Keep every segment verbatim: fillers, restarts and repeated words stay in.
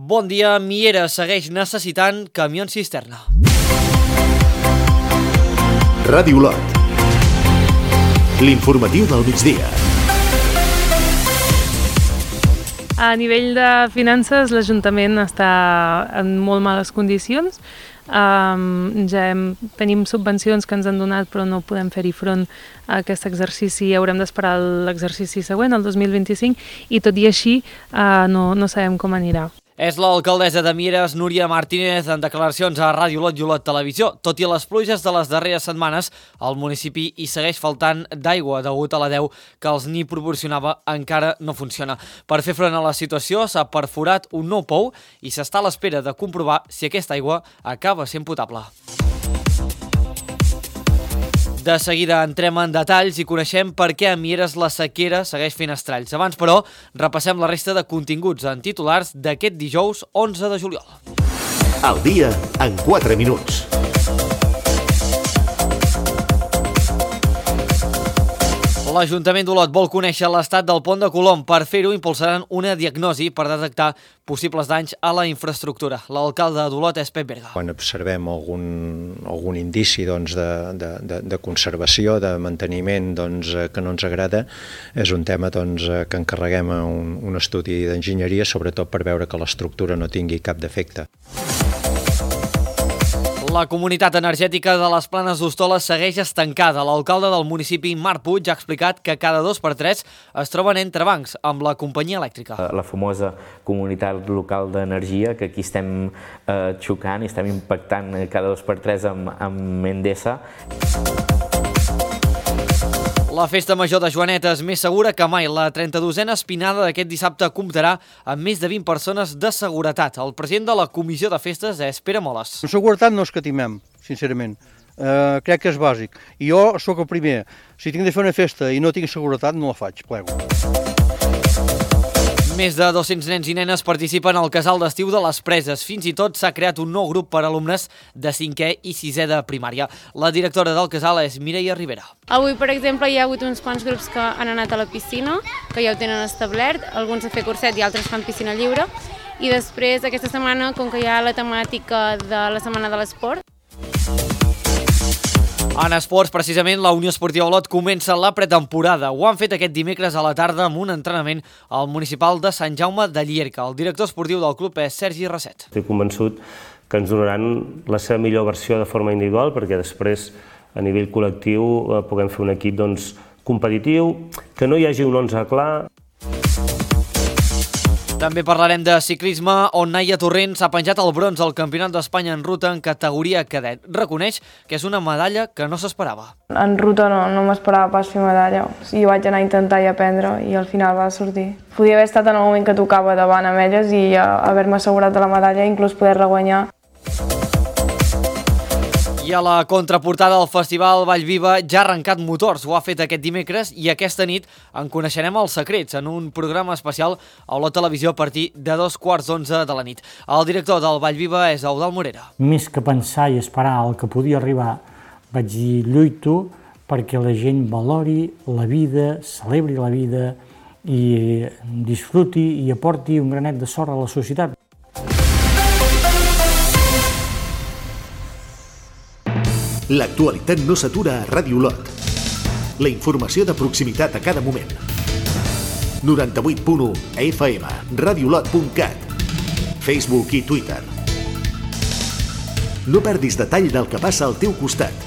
Bon dia, Mieres segueix necessitant camions cisterna. Ràdio Olot. L'informatiu del migdia. A nivell de finances, l'Ajuntament està en molt males condicions. Um, ja hem, tenim subvencions que ens han donat, però no podem fer-hi front a aquest exercici. Haurem d'esperar l'exercici següent, el dos mil vint-i-cinc, i tot i així uh, no, no sabem com anirà. És l'alcaldessa de Mieres, Núria Martínez, en declaracions a Ràdio Olot i Olot Televisió. Tot i les pluges de les darreres setmanes, el municipi hi segueix faltant d'aigua degut a la deu que els n'hi proporcionava encara no funciona. Per fer front a la situació s'ha perforat un nou pou i s'està a l'espera de comprovar si aquesta aigua acaba sent potable. De seguida entrem en detalls i coneixem per què a Mieres la sequera segueix fent estralls. Abans, però, repassem la resta de continguts en titulars d'aquest dijous onze de juliol. Al dia en quatre minuts. L'Ajuntament d'Olot vol conèixer l'estat del pont de Colom. Per fer-ho, impulsaran una diagnosi per detectar possibles danys a la infraestructura. L'alcalde d'Olot és Pep Berga. Quan observem algun, algun indici doncs, de, de, de, de conservació, de manteniment doncs, que no ens agrada, és un tema doncs, que encarreguem a un, un estudi d'enginyeria, sobretot per veure que l'estructura no tingui cap defecte. La comunitat energètica de les Planes d'Hostoles segueix estancada. L'alcalde del municipi, Marc Puig, ha explicat que cada dos per tres es troben entrebancs amb la companyia elèctrica. La famosa comunitat local d'energia, que aquí estem eh, xocant i estem impactant cada dos per tres amb, amb Endesa. La festa major de Joanet és més segura que mai. La trenta-dosena espinada d'aquest dissabte comptarà amb més de vint persones de seguretat. El president de la comissió de festes és Pere Moles. En seguretat no escatimem, sincerament. Uh, crec que és bàsic. I jo sóc el primer. Si tinc de fer una festa i no tinc seguretat, no la faig, plego. Més de dos-cents nens i nenes participen al casal d'estiu de les Preses. Fins i tot s'ha creat un nou grup per a alumnes de cinquè i sisè de primària. La directora del casal és Mireia Rivera. Avui, per exemple, hi ha hagut uns quants grups que han anat a la piscina, que ja ho tenen establert, alguns a fer curset i altres fan piscina lliure. I després, aquesta setmana, com que hi ha la temàtica de la Setmana de l'Esport, en esports, precisament, la Unió Esportiva Olot comença la pretemporada. Ho han fet aquest dimecres a la tarda amb un entrenament al municipal de Sant Jaume de Llierca. El director esportiu del club és Sergi Rasset. Estic convençut que ens donaran la seva millor versió de forma individual perquè després, a nivell col·lectiu, puguem fer un equip doncs, competitiu, que no hi hagi un onze clar. També parlarem de ciclisme, on Naia Torrent s'ha penjat el bronze al Campionat d'Espanya en ruta en categoria cadet. Reconeix que és una medalla que no s'esperava. En ruta no, no m'esperava pas fer medalla. I vaig anar a intentar i aprendre i al final va sortir. Podia haver estat en el moment que tocava davant amb elles i haver-me assegurat de la medalla i inclús poder-la guanyar. I a la contraportada del Festival Vallviva ja ha arrencat motors. Ho ha fet aquest dimecres i aquesta nit en coneixerem els secrets en un programa especial a la televisió a partir de dos quarts d'onze de la nit. El director del Vallviva és Eudald Morera. Més que pensar i esperar el que podia arribar, vaig dir lluito perquè la gent valori la vida, celebri la vida i disfruti i aporti un granet de sorra a la societat. L'actualitat no s'atura a Ràdio Olot. La informació de proximitat a cada moment. noranta-vuit punt u F M, radiolot punt cat, Facebook i Twitter. No perdis detall del que passa al teu costat.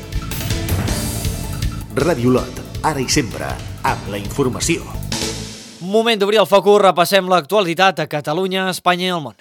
Ràdio Olot, ara i sempre, amb la informació. Moment d'obrir el focus, repassem l'actualitat a Catalunya, Espanya i el món.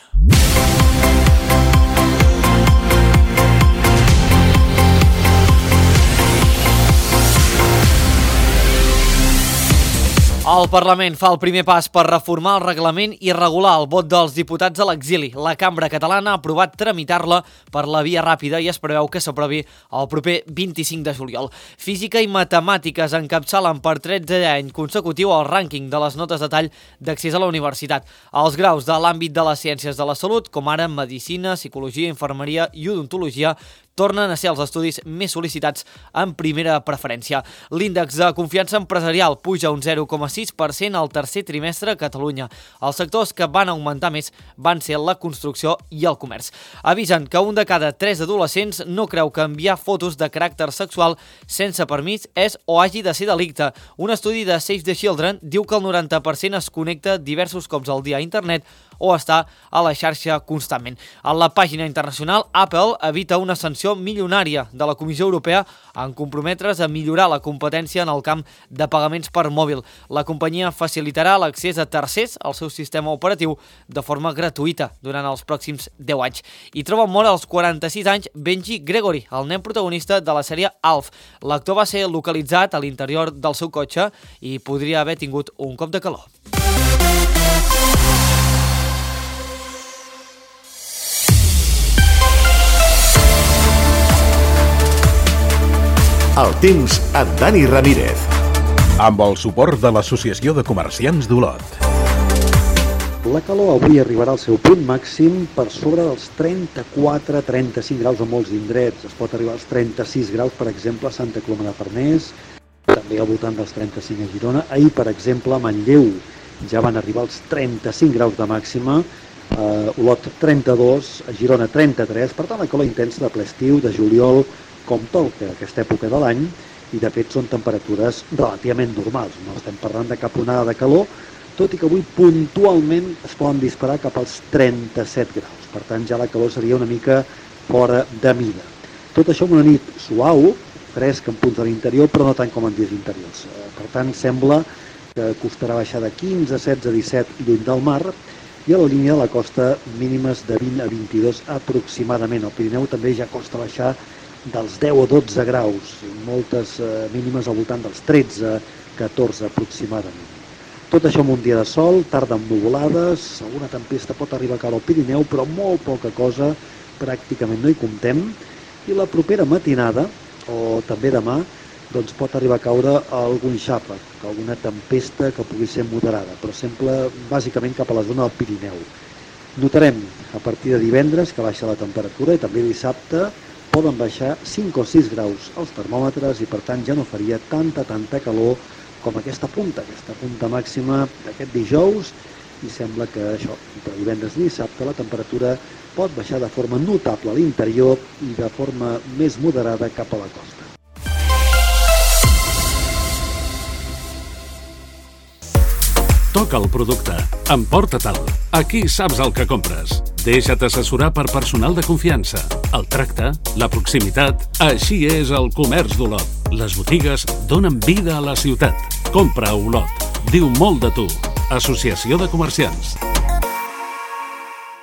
El Parlament fa el primer pas per reformar el reglament i regular el vot dels diputats a l'exili. La Cambra Catalana ha aprovat tramitar-la per la via ràpida i es preveu que s'aprovi el proper vint-i-cinc de juliol. Física i matemàtiques encapçalen per tretzè any consecutiu el rànquing de les notes de tall d'accés a la universitat. Els graus de l'àmbit de les ciències de la salut, com ara medicina, psicologia, infermeria i odontologia, tornen a ser els estudis més sol·licitats en primera preferència. L'índex de confiança empresarial puja un zero coma sis per cent al tercer trimestre a Catalunya. Els sectors que van augmentar més van ser la construcció i el comerç. Avisen que un de cada tres adolescents no creu que enviar fotos de caràcter sexual sense permís és o hagi de ser delicte. Un estudi de Save the Children diu que el noranta per cent es connecta diversos cops al dia a internet o està a la xarxa constantment. A la pàgina internacional, Apple evita una sanció milionària de la Comissió Europea en comprometre's a millorar la competència en el camp de pagaments per mòbil. La companyia facilitarà l'accés a tercers al seu sistema operatiu de forma gratuïta durant els pròxims deu anys. I troba mort als quaranta-sis anys Benji Gregory, el nen protagonista de la sèrie Alf. L'actor va ser localitzat a l'interior del seu cotxe i podria haver tingut un cop de calor. El temps amb Dani Ramírez. Amb el suport de l'Associació de Comerciants d'Olot. La calor avui arribarà al seu punt màxim per sobre dels trenta-quatre a trenta-cinc graus a molts indrets. Es pot arribar als trenta-sis graus, per exemple, a Santa Coloma de Farners, també al voltant dels trenta-cinc a Girona. Ahir, per exemple, a Manlleu ja van arribar als trenta-cinc graus de màxima, a Olot trenta-dos, a Girona trenta-tres. Per tant, la calor intensa de ple estiu, de juliol, com toca aquesta època de l'any, i de fet són temperatures relativament normals. No estem parlant de cap onada de calor, tot i que avui puntualment es poden disparar cap als trenta-set graus. Per tant, ja la calor seria una mica fora de mida. Tot això amb una nit suau, fresc en punts de l'interior, però no tant com en dies interiors. Per tant, sembla que costarà baixar de quinze, setze, disset lluny del mar, i a la línia de la costa mínimes de vint a vint-i-dos aproximadament. Al Pirineu també ja costa baixar dels deu o dotze graus, moltes eh, mínimes al voltant dels tretze a catorze aproximadament. Tot això amb un dia de sol, tarda amb nuvolades, alguna tempesta pot arribar a caure al Pirineu, però molt poca cosa, pràcticament no hi comptem, i la propera matinada, o també demà, doncs pot arribar a caure algun xàfec, alguna tempesta que pugui ser moderada, però sempre bàsicament cap a la zona del Pirineu. Notarem a partir de divendres que baixa la temperatura i també dissabte poden baixar cinc o sis graus els termòmetres i per tant ja no faria tanta, tanta calor com aquesta punta, aquesta punta màxima d'aquest dijous, i sembla que això, entre divendres i dissabte, la temperatura pot baixar de forma notable a l'interior i de forma més moderada cap a la costa. Toca el producte, emporta-te'l. Aquí saps el que compres. Deixa't assessorar per personal de confiança. El tracte, la proximitat, així és el comerç d'Olot. Les botigues donen vida a la ciutat. Compra a Olot. Diu molt de tu. Associació de Comerciants.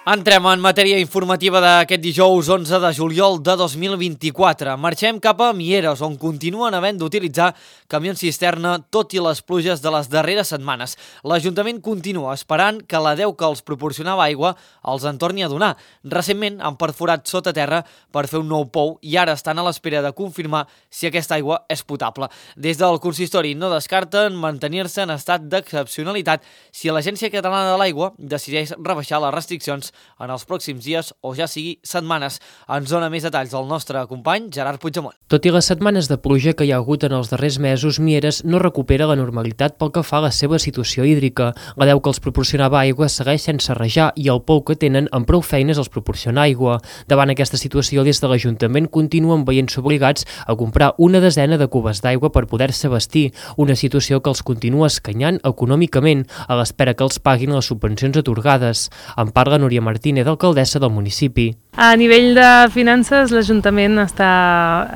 Entrem en matèria informativa d'aquest dijous onze de juliol de dos mil vint-i-quatre. Marxem cap a Mieres, on continuen havent d'utilitzar camions cisterna tot i les pluges de les darreres setmanes. L'Ajuntament continua esperant que la deu que els proporcionava aigua els en torni a donar. Recentment han perforat sota terra per fer un nou pou i ara estan a l'espera de confirmar si aquesta aigua és potable. Des del consistori no descarten mantenir-se en estat d'excepcionalitat si l'Agència Catalana de l'Aigua decideix rebaixar les restriccions en els pròxims dies o ja sigui setmanes. Ens dona més detalls el nostre company Gerard Puigdemont. Tot i les setmanes de pluja que hi ha hagut en els darrers mesos, Mieres no recupera la normalitat pel que fa a la seva situació hídrica. La deu que els proporcionava aigua segueix sense rajar i el pou que tenen amb prou feines els proporciona aigua. Davant aquesta situació, des de l'Ajuntament continuen veient-se obligats a comprar una desena de cubes d'aigua per poder-se vestir, una situació que els continua escanyant econòmicament a l'espera que els paguin les subvencions atorgades. En parla Núria Martínez, alcaldessa del municipi. A nivell de finances, l'Ajuntament està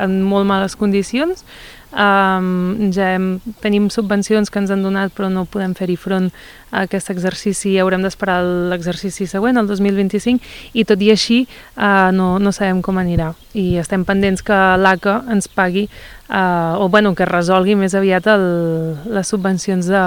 en molt males condicions. Um, ja hem, tenim subvencions que ens han donat però no podem fer-hi front a aquest exercici, haurem d'esperar l'exercici següent, el dos mil vint-i-cinc, i tot i així uh, no, no sabem com anirà i estem pendents que l'A C A ens pagui uh, o bueno, que resolgui més aviat el, les subvencions de,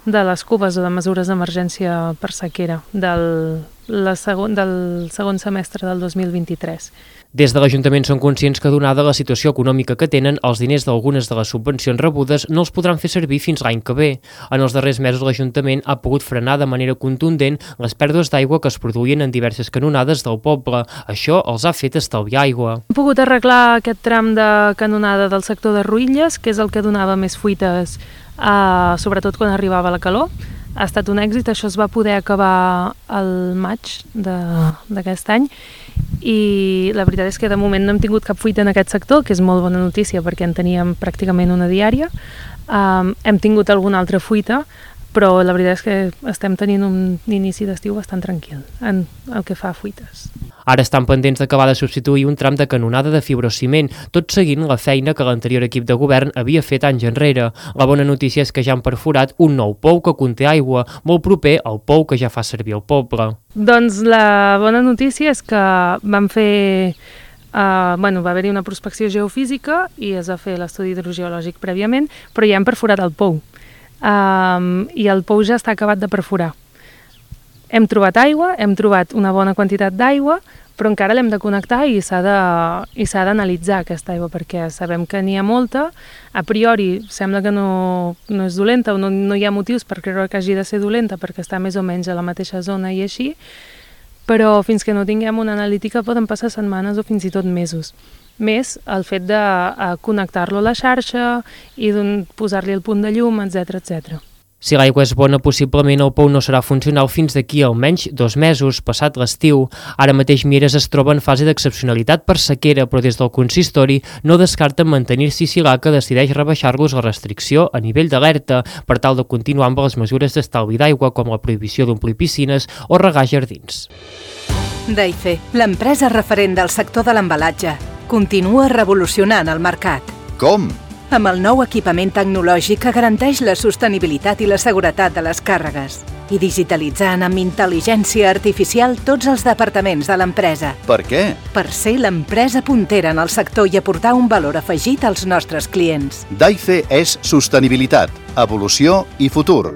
de les cubes o de mesures d'emergència per sequera del la segon, del segon semestre del dos mil vint-i-tres. Des de l'Ajuntament són conscients que, donada la situació econòmica que tenen, els diners d'algunes de les subvencions rebudes no els podran fer servir fins l'any que ve. En els darrers mesos l'Ajuntament ha pogut frenar de manera contundent les pèrdues d'aigua que es produïen en diverses canonades del poble. Això els ha fet estalviar aigua. Hem pogut arreglar aquest tram de canonada del sector de Ruïlles, que és el que donava més fuites, eh, sobretot quan arribava la calor. Ha estat un èxit, això es va poder acabar al maig d'aquest any, i la veritat és que de moment no hem tingut cap fuita en aquest sector, que és molt bona notícia perquè en teníem pràcticament una diària. Um, hem tingut alguna altra fuita, però la veritat és que estem tenint un inici d'estiu bastant tranquil en el que fa a fuites. Ara estan pendents d'acabar de substituir un tram de canonada de fibrociment, tot seguint la feina que l'anterior equip de govern havia fet anys enrere. La bona notícia és que ja han perforat un nou pou que conté aigua, molt proper al pou que ja fa servir el poble. Doncs la bona notícia és que vam fer... Uh, bueno, va haver-hi una prospecció geofísica i es va fer l'estudi hidrogeològic prèviament, però ja hem perforat el pou. Um, I el pou ja està acabat de perforar. Hem trobat aigua, hem trobat una bona quantitat d'aigua, però encara l'hem de connectar i s'ha de, i s'ha d'analitzar aquesta aigua, perquè sabem que n'hi ha molta. A priori sembla que no, no és dolenta, o no, no hi ha motius per creure que hagi de ser dolenta perquè està més o menys a la mateixa zona i així, però fins que no tinguem una analítica poden passar setmanes o fins i tot mesos. Més el fet de uh, connectar-lo a la xarxa i posar-li el punt de llum, etcètera, etcètera. Si l'aigua és bona, possiblement el pou no serà funcional fins d'aquí almenys dos mesos, passat l'estiu. Ara mateix Mieres es troba en fase d'excepcionalitat per sequera, però des del consistori no descarten mantenir-s'hi si l'A C A decideix rebaixar-los la restricció a nivell d'alerta per tal de continuar amb les mesures d'estalvi d'aigua, com la prohibició d'omplir piscines o regar jardins. Daife, l'empresa referent del sector de l'embalatge, continua revolucionant el mercat. Com? Amb el nou equipament tecnològic que garanteix la sostenibilitat i la seguretat de les càrregues i digitalitzant amb intel·ligència artificial tots els departaments de l'empresa. Per què? Per ser l'empresa puntera en el sector i aportar un valor afegit als nostres clients. Daife és sostenibilitat, evolució i futur.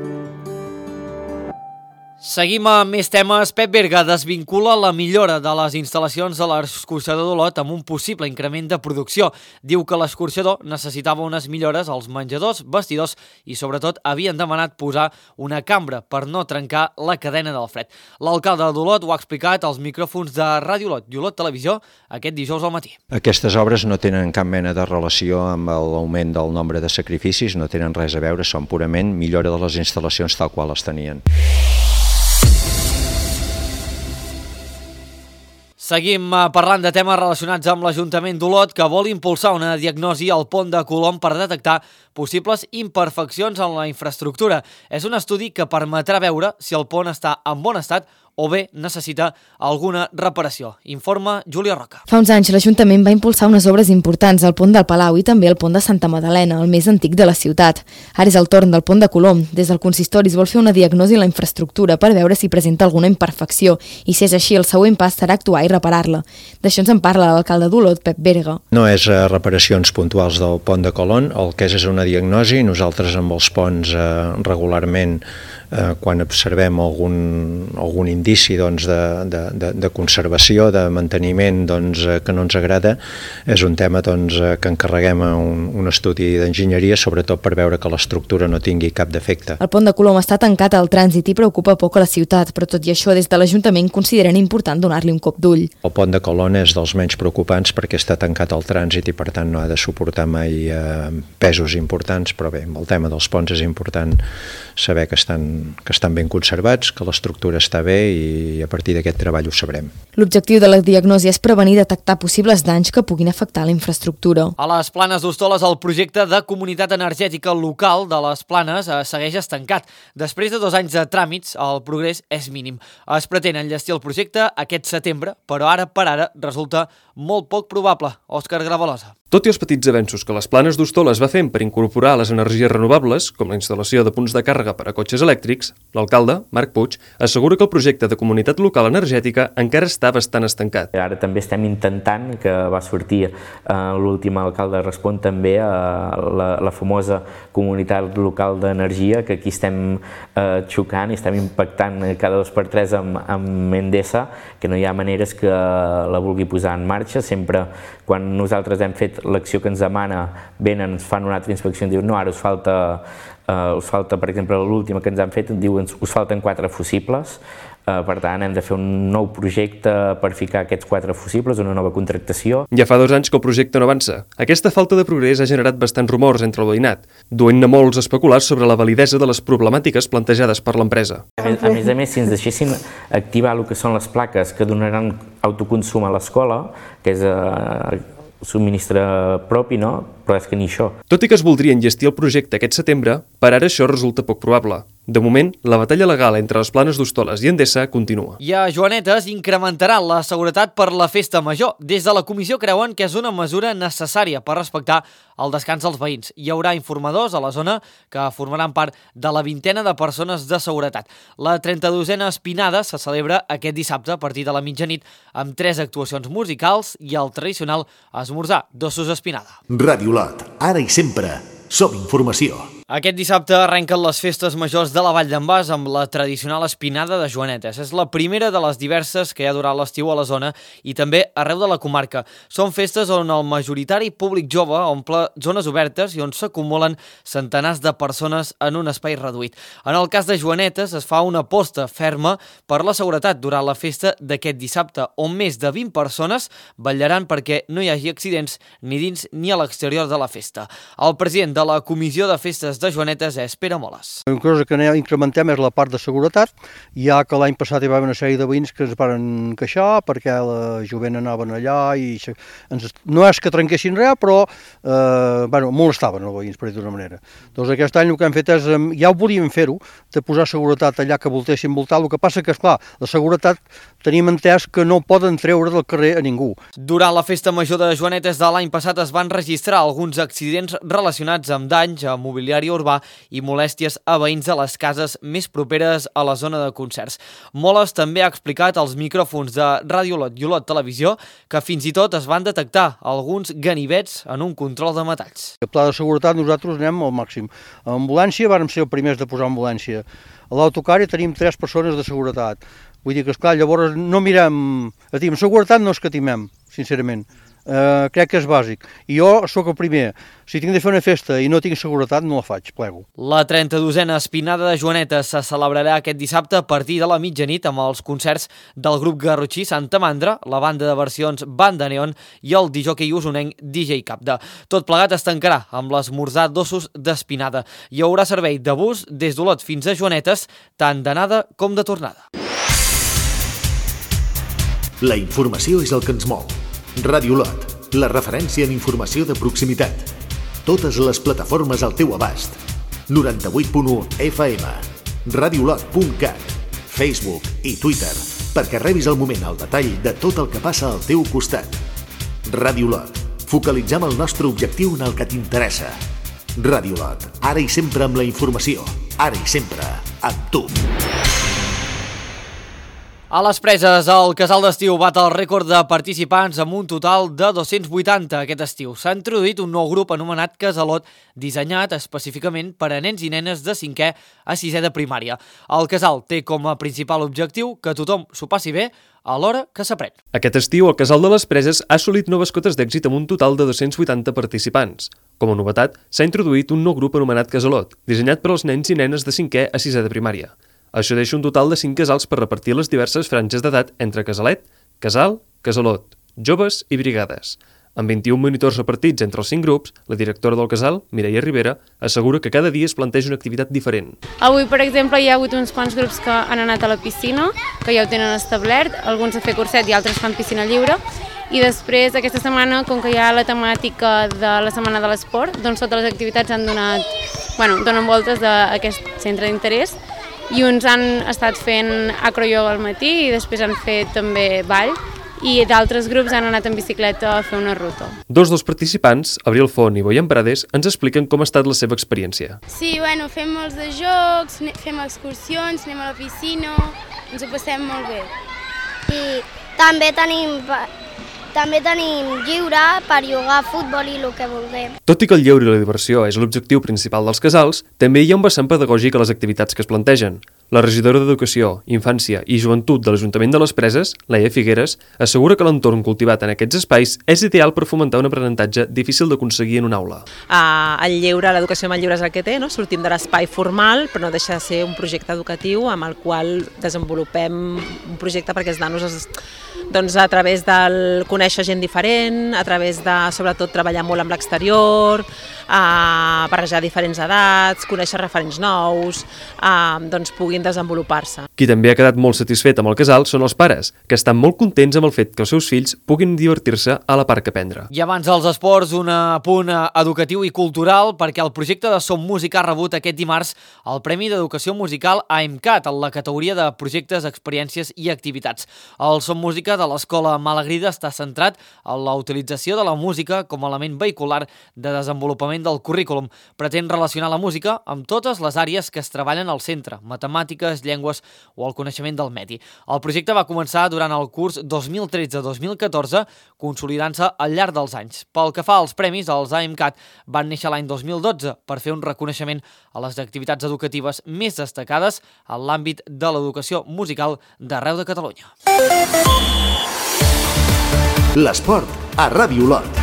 Seguim amb més temes. Pep Berga desvincula la millora de les instal·lacions de l'escorxador d'Olot amb un possible increment de producció. Diu que l'escorxador necessitava unes millores als menjadors, vestidors i sobretot havien demanat posar una cambra per no trencar la cadena del fred. L'alcalde d'Olot ho ha explicat als micròfons de Ràdio Olot i Olot Televisió aquest dijous al matí. Aquestes obres no tenen cap mena de relació amb l'augment del nombre de sacrificis, no tenen res a veure, són purament millora de les instal·lacions tal qual les tenien. Seguim parlant de temes relacionats amb l'Ajuntament d'Olot, que vol impulsar una diagnosi al pont de Colom per detectar possibles imperfeccions en la infraestructura. És un estudi que permetrà veure si el pont està en bon estat o bé necessita alguna reparació. Informa Júlia Roca. Fa uns anys l'Ajuntament va impulsar unes obres importants al pont del Palau i també al pont de Santa Magdalena, el més antic de la ciutat. Ara és el torn del pont de Colom. Des del consistori es vol fer una diagnosi a la infraestructura per veure si presenta alguna imperfecció i, si és així, el següent pas serà actuar i reparar-la. D'això ens en parla l'alcalde d'Olot, Pep Berga. No és eh, reparacions puntuals del pont de Colom, el que és és una diagnosi. Nosaltres amb els ponts eh, regularment eh, quan observem algun, algun indici doncs, de, de, de, de conservació, de manteniment doncs, que no ens agrada, és un tema doncs, que encarreguem a un, un estudi d'enginyeria, sobretot per veure que l'estructura no tingui cap defecte. El pont de Colom està tancat al trànsit i preocupa poc a la ciutat, però tot i això des de l'Ajuntament consideren important donar-li un cop d'ull. El pont de Colom és dels menys preocupants perquè està tancat al trànsit i per tant no ha de suportar mai eh, pesos importants, però bé, amb el tema dels ponts és important saber que estan, que estan ben conservats, que l'estructura està bé i a partir d'aquest treball ho sabrem. L'objectiu de la diagnosi és prevenir i detectar possibles danys que puguin afectar la infraestructura. A les Planes d'Hostoles, el projecte de comunitat energètica local de les Planes eh, segueix estancat. Després de dos anys de tràmits, el progrés és mínim. Es pretén enllestir el projecte aquest setembre, però ara per ara resulta molt poc probable. Òscar Gravalosa. Tot i els petits avenços que les Planes d'Hostoles va fent per incorporar les energies renovables, com la instal·lació de punts de càrrega per a cotxes elèctrics, hídrics, l'alcalde, Marc Puig, assegura que el projecte de comunitat local energètica encara està bastant estancat. Ara també estem intentant, que va sortir eh, l'últim alcalde respon també a la, la famosa comunitat local d'energia, que aquí estem eh, xocant i estem impactant cada dos per tres amb, amb Endesa, que no hi ha maneres que la vulgui posar en marxa. Sempre quan nosaltres hem fet l'acció que ens demana, venen, ens fan una altra inspecció i diuen no, ara us falta Uh, us falta, per exemple, l'última que ens han fet, diuen us falten quatre fusibles, uh, per tant hem de fer un nou projecte per ficar aquests quatre fusibles, una nova contractació. Ja fa dos anys que el projecte no avança. Aquesta falta de progrés ha generat bastants rumors entre el veïnat, duent-ne molts a especular sobre la validesa de les problemàtiques plantejades per l'empresa. A més, a més a més, si ens deixessin activar el que són les plaques que donaran autoconsum a l'escola, que és uh, subministre propi, no? Però és que ni això. Tot i que es voldria enllestir el projecte aquest setembre, per ara això resulta poc probable. De moment, la batalla legal entre les Planes d'Hostoles i Endesa continua. I a Joanetes incrementarà la seguretat per la festa major. Des de la comissió creuen que és una mesura necessària per respectar el descans dels veïns. Hi haurà informadors a la zona que formaran part de la vintena de persones de seguretat. La trenta-dosena espinada se celebra aquest dissabte a partir de la mitjanit amb tres actuacions musicals i el tradicional esmorzar d'ossos espinada. Ràdio Lot, ara i sempre, som informació. Aquest dissabte arrenquen les festes majors de la Vall d'en Bas amb la tradicional espinada de Joanetes. És la primera de les diverses que hi ha durant l'estiu a la zona i també arreu de la comarca. Són festes on el majoritari públic jove omple zones obertes i on s'acumulen centenars de persones en un espai reduït. En el cas de Joanetes es fa una aposta ferma per la seguretat durant la festa d'aquest dissabte, on més de vint persones vetllaran perquè no hi hagi accidents ni dins ni a l'exterior de la festa. El president de la Comissió de Festes de Joanetes és Pere Moles. Una cosa que incrementem és la part de seguretat, ja que l'any passat hi va haver una sèrie de veïns que ens van queixar perquè la jovent anaven allà i ens, no és que trenquessin res, però eh, bueno, molestaven els veïns, per dir d'una manera. Doncs aquest any el que hem fet és, ja ho volíem fer-ho, de posar seguretat allà que voltessin voltar, el que passa que, esclar, la seguretat tenim entès que no poden treure del carrer a ningú. Durant la festa major de Joanetes de l'any passat es van registrar alguns accidents relacionats amb danys a mobiliari urbà i molèsties a veïns de les cases més properes a la zona de concerts. Moles també ha explicat als micròfons de Ràdio Lot i Olot Televisió que fins i tot es van detectar alguns ganivets en un control de metalls. El pla de seguretat nosaltres anem al màxim. A ambulància vàrem ser els primers de posar ambulància. A l'autocar ja tenim tres persones de seguretat. Vull dir que, esclar, llavors no mirem... Amb seguretat no escatimem, sincerament. Uh, crec que és bàsic. I jo sóc el primer. Si tinc de fer una festa i no tinc seguretat, no la faig, plego. La trenta-dosena espinada de Joanetes se celebrarà aquest dissabte a partir de la mitjanit amb els concerts del grup garrotxí Santa Mandra, la banda de versions Banda Neon i el disjockey usonenc D J Capda. Tot plegat es tancarà amb l'esmorzar d'ossos d'espinada. Hi haurà servei de bus des d'Olot fins a Joanetes, tant d'anada com de tornada. La informació és el que ens mou. Ràdio Lot, la referència en informació de proximitat. Totes les plataformes al teu abast. noranta-vuit punt u F M, radiolot punt cat, Facebook i Twitter, perquè rebis al moment el detall de tot el que passa al teu costat. Ràdio Lot, focalitzem el nostre objectiu en el que t'interessa. Ràdio Lot, ara i sempre amb la informació, ara i sempre amb tu. A les Preses, el casal d'estiu bat el rècord de participants amb un total de dos-cents vuitanta aquest estiu. S'ha introduït un nou grup anomenat Casalot, dissenyat específicament per a nens i nenes de cinquè a sisè de primària. El casal té com a principal objectiu que tothom s'ho passi bé alhora que s'aprèn. Aquest estiu, el casal de les Preses ha assolit noves cotes d'èxit amb un total de dos-cents vuitanta participants. Com a novetat, s'ha introduït un nou grup anomenat Casalot, dissenyat per als nens i nenes de cinquè a sisè de primària. Això deixa un total de cinc casals per repartir les diverses franges d'edat entre casalet, casal, casalot, joves i brigades. Amb vint-i-un monitors repartits entre els cinc grups, la directora del casal, Mireia Rivera, assegura que cada dia es planteja una activitat diferent. Avui, per exemple, hi ha hagut uns quants grups que han anat a la piscina, que ja ho tenen establert, alguns a fer curset i altres fan piscina lliure, i després, aquesta setmana, com que hi ha la temàtica de la Setmana de l'Esport, doncs totes les activitats han donat, bueno, donen voltes d'aquest centre d'interès, i uns han estat fent acroyoga al matí i després han fet també ball i d'altres grups han anat en bicicleta a fer una ruta. Dos dels participants, Abril Font i Boyan Prades, ens expliquen com ha estat la seva experiència. Sí, bueno, fem molts de jocs, fem excursions, anem a la piscina, ens ho passem molt bé. I també tenim, també tenim lliure per jugar a futbol i el que vulguem. Tot i que el lleure i la diversió és l'objectiu principal dels casals, també hi ha un vessant pedagògic a les activitats que es plantegen. La regidora d'Educació, Infància i Joventut de l'Ajuntament de les Preses, Laia Figueres, assegura que l'entorn cultivat en aquests espais és ideal per fomentar un aprenentatge difícil d'aconseguir en una aula. Uh, el lleure, l'educació amb el lleure és el que té, no? Sortim de l'espai formal, però no deixa de ser un projecte educatiu amb el qual desenvolupem un projecte perquè els nanos es, doncs, a través del conèixer gent diferent, a través de, sobretot, treballar molt amb l'exterior, uh, barrejar diferents edats, conèixer referents nous, uh, doncs puguin desenvolupar-se. Qui també ha quedat molt satisfet amb el casal són els pares, que estan molt contents amb el fet que els seus fills puguin divertir-se a la part que aprendre. I abans dels esports, un punt educatiu i cultural, perquè el projecte de Som Música ha rebut aquest dimarts el Premi d'Educació Musical a EMCAT, en la categoria de projectes, experiències i activitats. El Som Música de l'Escola Malagrida està centrat en la utilització de la música com a element vehicular de desenvolupament del currículum. Pretén relacionar la música amb totes les àrees que es treballen al centre, matemàtiques, llengües o el coneixement del medi. El projecte va començar durant el curs dos mil tretze dos mil catorze, consolidant-se al llarg dels anys. Pel que fa als premis, els A M C A T van néixer l'any dos mil dotze per fer un reconeixement a les activitats educatives més destacades en l'àmbit de l'educació musical d'arreu de Catalunya. L'esport a Ràdio Olot.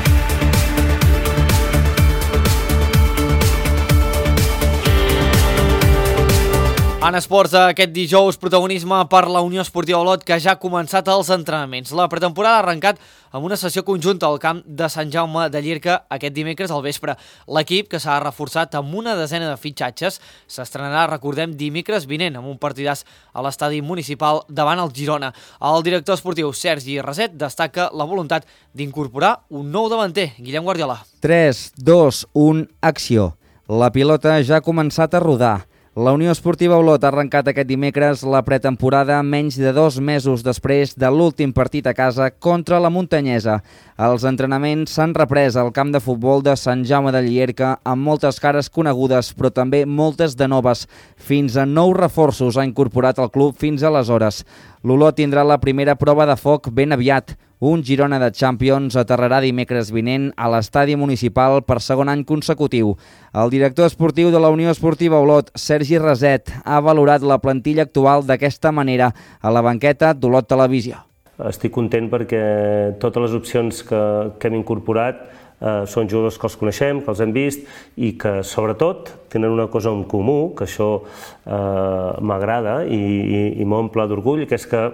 En esports, aquest dijous, protagonisme per la Unió Esportiva Olot, que ja ha començat els entrenaments. La pretemporada ha arrencat amb una sessió conjunta al camp de Sant Jaume de Llierca aquest dimecres al vespre. L'equip, que s'ha reforçat amb una desena de fitxatges, s'estrenarà, recordem, dimecres vinent amb un partidàs a l'estadi municipal davant el Girona. El director esportiu Sergi Raset destaca la voluntat d'incorporar un nou davanter, Guillem Guardiola. tres, dos, un, acció. La pilota ja ha començat a rodar. La Unió Esportiva Olot ha arrencat aquest dimecres la pretemporada menys de dos mesos després de l'últim partit a casa contra la Muntanyesa. Els entrenaments s'han reprès al camp de futbol de Sant Jaume de Llierca amb moltes cares conegudes, però també moltes de noves. Fins a nou reforços ha incorporat el club fins aleshores. L'Olot tindrà la primera prova de foc ben aviat. Un Girona de Champions aterrarà dimecres vinent a l'estadi municipal per segon any consecutiu. El director esportiu de la Unió Esportiva Olot, Sergi Raset, ha valorat la plantilla actual d'aquesta manera a la banqueta d'Olot Televisió. Estic content perquè totes les opcions que, que hem incorporat eh, són jugadors que els coneixem, que els hem vist i que, sobretot, tenen una cosa en comú, que això eh, m'agrada i, i, i m'omple d'orgull, que és que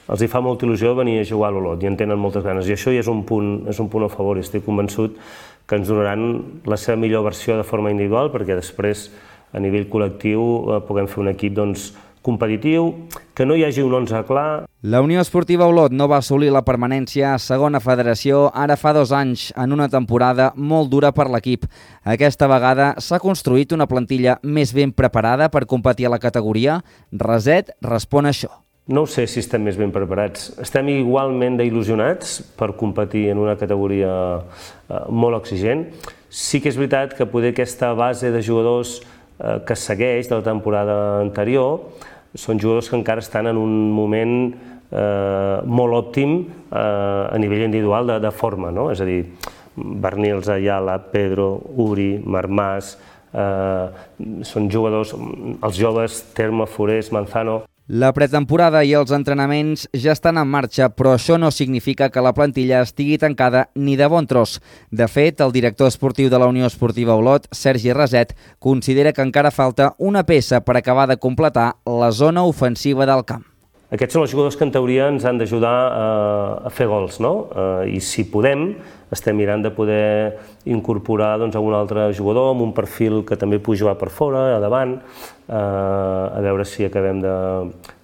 els hi fa molta il·lusió venir a jugar a l'Olot i en tenen moltes ganes. I això ja és un punt, és un punt a favor i estic convençut que ens donaran la seva millor versió de forma individual perquè després, a nivell col·lectiu, eh, puguem fer un equip doncs, competitiu, que no hi hagi un onze clar. La Unió Esportiva Olot no va assolir la permanència a segona federació ara fa dos anys, en una temporada molt dura per l'equip. Aquesta vegada s'ha construït una plantilla més ben preparada per competir a la categoria. Raset respon a això. No sé si estem més ben preparats. Estem igualment d'il·lusionats per competir en una categoria eh, molt exigent. Sí que és veritat que poder aquesta base de jugadors eh, que segueix de la temporada anterior són jugadors que encara estan en un moment eh, molt òptim eh, a nivell individual de, de forma, no? És a dir, Bernils, Ayala, Pedro, Uri, Marmàs, eh, són jugadors, els joves, Terma, Forés, Manzano. La pretemporada i els entrenaments ja estan en marxa, però això no significa que la plantilla estigui tancada ni de bon tros. De fet, el director esportiu de la Unió Esportiva Olot, Sergi Raset, considera que encara falta una peça per acabar de completar la zona ofensiva del camp. Aquests són els jugadors que en teoria ens han d'ajudar a fer gols, no? I si podem, estem mirant de poder incorporar doncs, un altre jugador amb un perfil que també pugui jugar per fora, a davant, a veure si acabem de,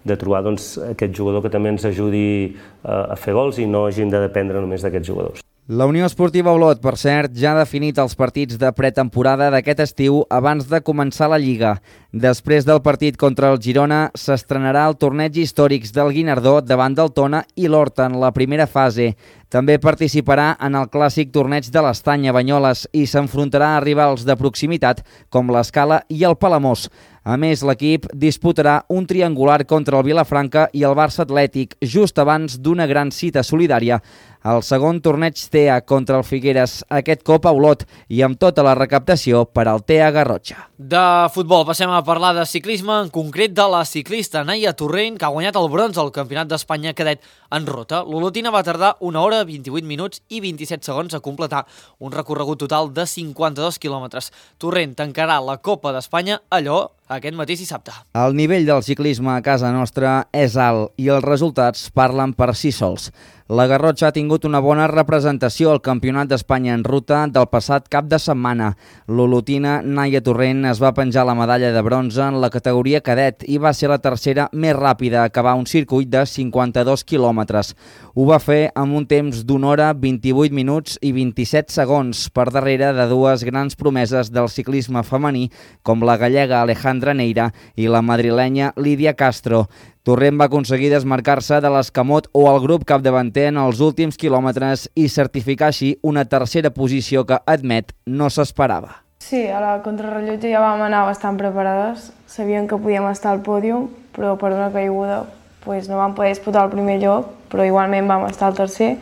de trobar doncs, aquest jugador que també ens ajudi a fer gols i no hagin de dependre només d'aquests jugadors. La Unió Esportiva Olot, per cert, ja ha definit els partits de pretemporada d'aquest estiu abans de començar la Lliga. Després del partit contra el Girona, s'estrenarà el torneig històrics del Guinardó davant del Tona i l'Horta en la primera fase. També participarà en el clàssic torneig de l'Estany a Banyoles i s'enfrontarà a rivals de proximitat com l'Escala i el Palamós. A més, l'equip disputarà un triangular contra el Vilafranca i el Barça Atlètic just abans d'una gran cita solidària. El segon torneig T E A contra el Figueres, aquest cop a Olot i amb tota la recaptació per al T E A Garrotxa. De futbol passem a parlar de ciclisme, en concret de la ciclista Naia Torrent, que ha guanyat el bronze al Campionat d'Espanya cadet en ruta. L'olotina va tardar una hora, vint-i-vuit minuts i vint-i-set segons a completar un recorregut total de cinquanta-dos quilòmetres. Torrent tancarà la Copa d'Espanya a Lleó aquest mateix dissabte. El nivell del ciclisme a casa nostra és alt i els resultats parlen per si sols. La Garrotxa ha tingut una bona representació al Campionat d'Espanya en ruta del passat cap de setmana. L'olotina Naia Torrent es va penjar la medalla de bronze en la categoria cadet i va ser la tercera més ràpida a acabar un circuit de cinquanta-dos quilòmetres. Ho va fer amb un temps d'una hora, vint-i-vuit minuts i vint-i-set segons per darrere de dues grans promeses del ciclisme femení com la gallega Alejandra Neira i la madrilenya Lídia Castro. Torrent va aconseguir desmarcar-se de l'Escamot o el grup capdavanter en els últims quilòmetres i certificar així una tercera posició que, admet, no s'esperava. Sí, a la contrarrellotge ja vam anar bastant preparades. Sabíem que podíem estar al pòdium, però per una caiguda doncs no vam poder disputar el primer lloc, però igualment vam estar al tercer.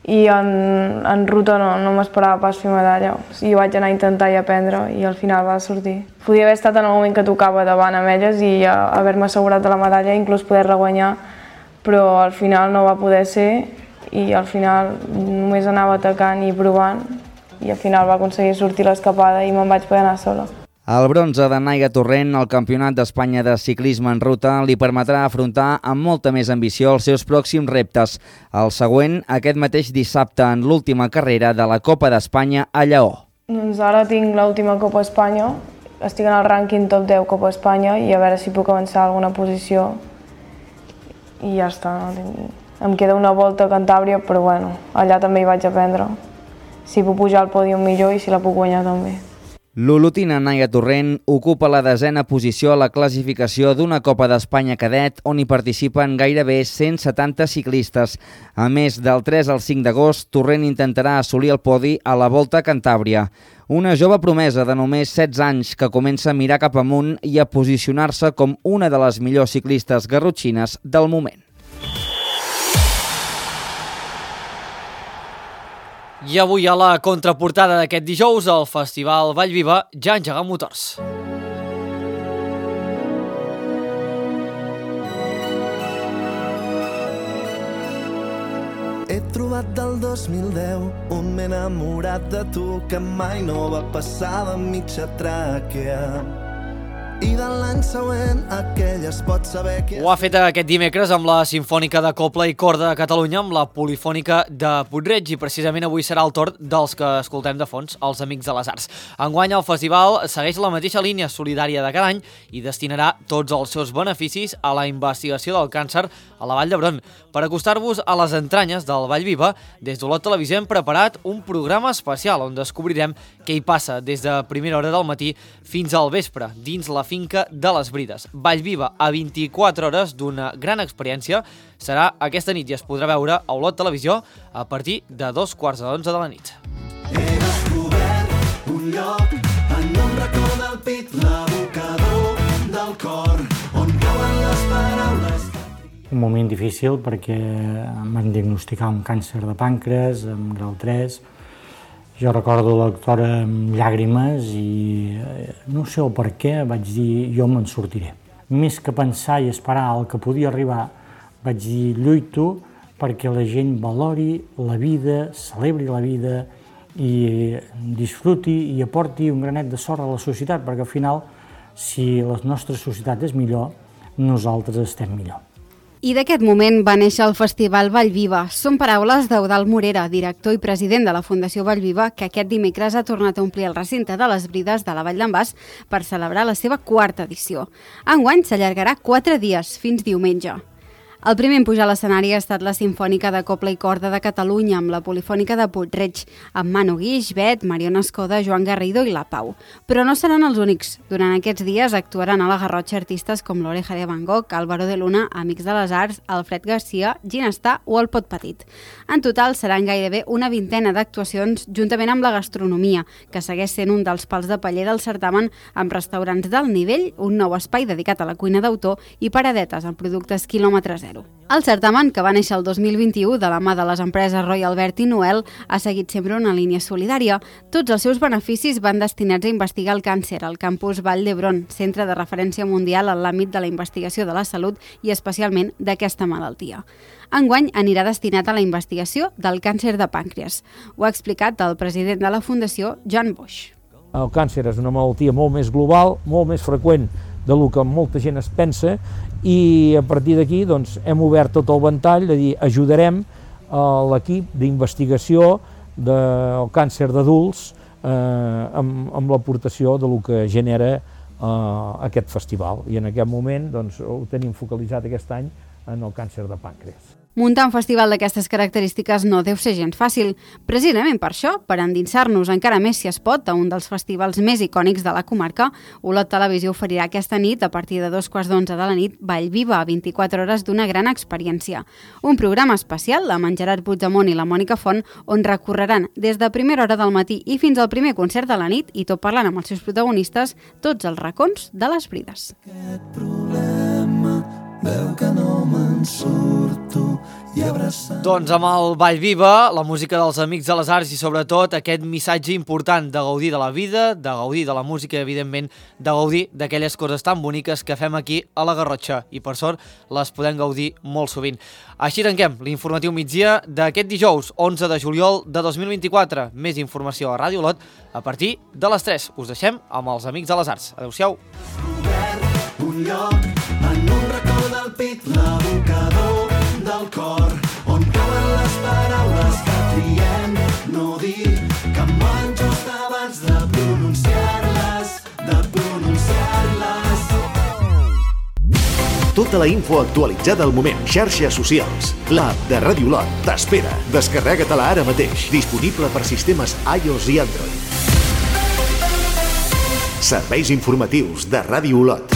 I en, en ruta no, no m'esperava pas fer medalla. O sigui, vaig anar a intentar i aprendre i al final va sortir. Podia haver estat en el moment que tocava davant amb elles i haver-me assegurat de la medalla, inclús poder-la guanyar, però al final no va poder ser i al final només anava atacant i provant i al final va aconseguir sortir l'escapada i me'n vaig poder anar sola. El bronze de Naia Torrent al Campionat d'Espanya de ciclisme en ruta li permetrà afrontar amb molta més ambició els seus pròxims reptes. El següent, aquest mateix dissabte, en l'última carrera de la Copa d'Espanya a Lleó. Doncs ara tinc l'última Copa Espanya, estic en el rànquing top deu Copa Espanya i a veure si puc avançar alguna posició i ja està. No? Em queda una volta a Cantàbria, però bueno, allà també hi vaig aprendre. Si puc pujar al pòdium millor i si la puc guanyar també. L'olotina Naia Torrent ocupa la desena posició a la classificació d'una Copa d'Espanya cadet on hi participen gairebé cent setanta ciclistes. A més, del tres al cinc d'agost, Torrent intentarà assolir el podi a la Volta a Cantàbria. Una jove promesa de només setze anys que comença a mirar cap amunt i a posicionar-se com una de les millors ciclistes garrotxines del moment. I avui a la contraportada d'aquest dijous, el Festival Vallviva ja ha engegat motors. He trobat del dos mil deu un m'he enamorat de tu que mai no va passar de mitja tràquea. I de l'any següent aquell es pot saber que... Ho ha fet aquest dimecres amb la Simfònica de Cobla i Corda de Catalunya, amb la Polifònica de Puig-reig, i precisament avui serà el torn dels que escoltem de fons, els Amics de les Arts. Enguany el festival segueix la mateixa línia solidària de cada any i destinarà tots els seus beneficis a la investigació del càncer a la Vall d'Hebron. Per acostar-vos a les entranyes del Vallviva, des d'Olot Televisió hem preparat un programa especial on descobrirem què hi passa des de primera hora del matí fins al vespre, dins la finca de les Brides. Vallviva a vint-i-quatre hores d'una gran experiència serà aquesta nit i es podrà veure a Olot Televisió a partir de dos quarts de onze de la nit. He descobert un lloc en un racó del pit, l'abocador del cor, on cauen les paraules. Un moment difícil perquè em van diagnosticar un càncer de pàncreas amb grau tres. Jo recordo la doctora amb llàgrimes i no sé el per què vaig dir jo me'n sortiré. Més que pensar i esperar el que podia arribar, vaig dir lluito perquè la gent valori la vida, celebri la vida i disfruti i aporti un granet de sort a la societat, perquè al final, si la nostra societat és millor, nosaltres estem millor. I d'aquest moment va néixer el Festival Vallviva. Són paraules d'Eudald Morera, director i president de la Fundació Vallviva, que aquest dimecres ha tornat a omplir el recinte de les Brides de la Vall d'en Bas per celebrar la seva quarta edició. Enguany s'allargarà quatre dies, fins diumenge. El primer en pujar a l'escenari ha estat la Simfònica de Cobla i Corda de Catalunya amb la Polifònica de Puig-reig, amb Manu Guix, Bet, Mariona Escoda, Joan Garrido i La Pau. Però no seran els únics. Durant aquests dies actuaran a la Garrotxa artistes com l'Oreja de Van Gogh, Álvaro de Luna, Amics de les Arts, Alfred Garcia, Ginestà o el Pot Petit. En total seran gairebé una vintena d'actuacions juntament amb la gastronomia, que segueix sent un dels pals de paller del certamen, amb restaurants d'alt nivell, un nou espai dedicat a la cuina d'autor i paradetes amb productes quilòmetre zero. El certamen, que va néixer el dos mil vint-i-u de la mà de les empreses Roy Albert i Noel, ha seguit sempre una línia solidària. Tots els seus beneficis van destinats a investigar el càncer al campus Vall d'Hebron, centre de referència mundial en l'àmbit de la investigació de la salut i especialment d'aquesta malaltia. Enguany anirà destinat a la investigació del càncer de pàncreas. Ho ha explicat el president de la Fundació, Joan Boix. El càncer és una malaltia molt més global, molt més freqüent de lo que molta gent es pensa, i a partir d'aquí doncs, hem obert tot el ventall de dir ajudarem a l'equip d'investigació del càncer d'adults eh, amb, amb l'aportació de lo que genera eh, aquest festival. I en aquest moment doncs, ho tenim focalitzat aquest any en el càncer de pàncreas. Muntar un festival d'aquestes característiques no deu ser gens fàcil. Precisament per això, per endinsar-nos encara més si es pot a un dels festivals més icònics de la comarca, Olot Televisió oferirà aquesta nit, a partir de dos quarts d'onze de la nit, Vallviva, a vint-i-quatre hores d'una gran experiència. Un programa especial amb en Gerard Puigdemont i la Mònica Font, on recorreran des de primera hora del matí i fins al primer concert de la nit, i tot parlant amb els seus protagonistes, tots els racons de les Brides. Aquest problema veu que no me'n surto i abraçant... Doncs amb el Vallviva, la música dels Amics de les Arts i sobretot aquest missatge important de gaudir de la vida, de gaudir de la música i evidentment de gaudir d'aquelles coses tan boniques que fem aquí a la Garrotxa i per sort les podem gaudir molt sovint. Així tanquem l'informatiu migdia d'aquest dijous onze de juliol de dos mil vint-i-quatre. Més informació a Ràdio Olot a partir de les tres. Us deixem amb els Amics de les Arts. Adéu-siau. Un lloc en un racó del pit, l'abocador del cor, on cauen les paraules que triem no dir, que em van just abans de pronunciar-les, de pronunciar-les. Tota la info actualitzada al moment. Xarxes socials. L'app de Ràdio Olot t'espera. Descarrega-te-la ara mateix. Disponible per sistemes iOS i Android. Serveis informatius de Ràdio Olot.